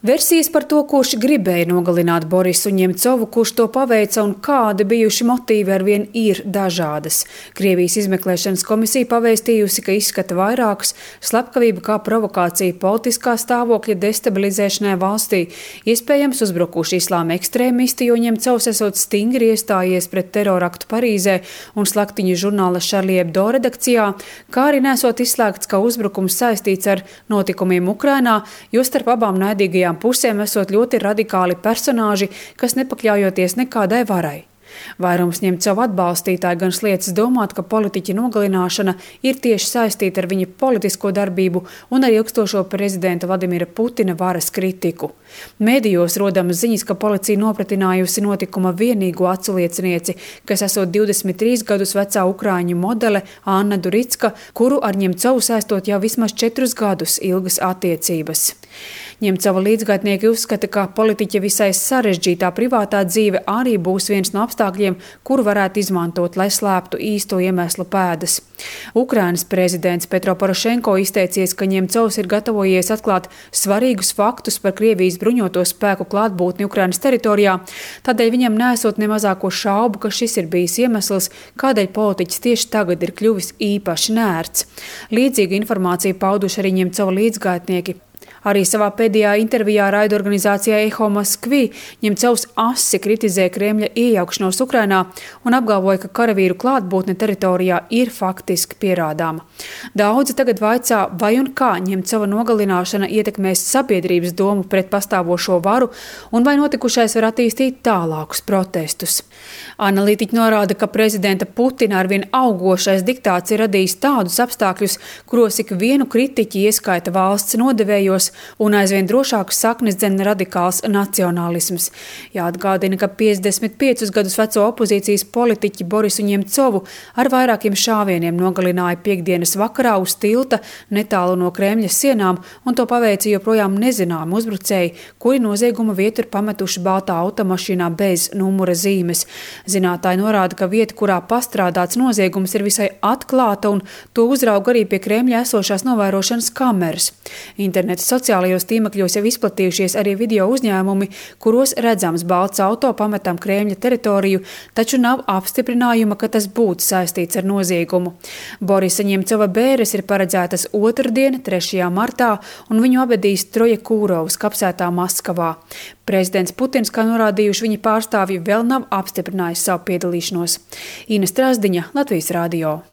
Versijas par to, kurš gribēja nogalināt Borisu Ņemcovu, kurš to paveica un kādi bijuši motīvi arvien ir dažādas. Krievijas izmeklēšanas komisija pavēstījusi, ka izskata vairākus slepkavību kā provokācija politiskā stāvokļa destabilizēšanai valstī. Iespējams uzbrukuši islāma ekstrēmisti, jo Ņemcovs esot stingri iestājies pret teroraktu Parīzē un slaktiņu žurnāla Charlie Hebdo redakcijā, kā arī nesot izslēgts, ka uzbrukums saistīts ar notikumiem Ukrainā, jo starp abām naidīgajām pusēm esot ļoti radikāli personāži, kas nepakļaujoties nekādai varai. Vairums Ņemcova atbalstītāji gan sliecas domāt, ka politiķa nogalināšana ir tieši saistīta ar viņa politisko darbību un ar ilgstošo prezidenta Vladimira Putina varas kritiku. Mēdījos rodamas ziņas, ka policija nopratinājusi notikuma vienīgo aculiecinieci, kas esot 23 gadus vecā ukraiņu modele Anna Duricka, kuru ar Ņemcovu saistot jau vismaz 4 gadus ilgas attiecības. Ņemcova līdzgaitnieki uzskata, ka politiķa visai sarežģītā privātā dzīve arī būs viens no apstākļiem, kuru varētu izmantot, lai slēptu īsto iemeslu pēdas. Ukrainas prezidents Petro Porošenko izteicies, ka Ņemcovs ir gatavojies atklāt svarīgus faktus par Krievijas bruņoto spēku klātbūtni Ukrainas teritorijā, tādēļ viņam nesot ne mazāko šaubu, ka šis ir bijis iemesls, kādēļ politiķis tieši tagad ir kļuvis īpaši nērts. Līdzīgu informāciju pauduši arī Ņemcova līdzgaitnieki. Arī savā pēdējā intervijā raidorganizācijai Eho Moskvi Ņemcovs asi kritizē Kremļa iejaukšanos Ukrainā un apgalvoja, ka karavīru klātbūtne teritorijā ir faktiski pierādāma. Daudzi tagad vaicā, vai un kā Ņemcova nogalināšana ietekmēs sabiedrības domu pret pastāvošo varu un vai notikušais var attīstīt tālākus protestus. Analītiķi norāda, ka prezidenta Putina arvien augošais diktāts ir radījis tādus apstākļus, kuros ik vienu kritiķi ieskaita valsts nodevējos un aizvien drošākas saknes dzen radikāls nacionālisms. Jāatgādina, ka 55 gadus veco opozīcijas politiķi Borisu Ņemcovu ar vairākiem šāvieniem nogalināja piektdienas vakarā uz tilta netālu no Kremļa sienām, un to paveica joprojām nezināmi uzbrucēji, kuri nozieguma vietu ir pametuši baltā automašīnā bez numura zīmes. Zinātāji norāda, ka vieta, kurā pastrādāts noziegums, ir visai atklāta, un to uzrauga arī pie Kremļa esošās novērošanas kameras. Interneta sociālajos tīmekļos jau izplatījušies arī video uzņēmumi, kuros redzams balts auto pametam Kremļa teritoriju, taču nav apstiprinājuma, ka tas būtu saistīts ar noziegumu. Borisa Ņemcova bēres ir paredzētas otrdien, 3. martā, un viņu apvedīs Trojekūrovas kapsētā Maskavā. Prezidents Putins, kā norādījuši viņa pārstāvji, vēl nav apstiprinājis savu piedalīšanos. Ina Strasdiņa, Latvijas radio.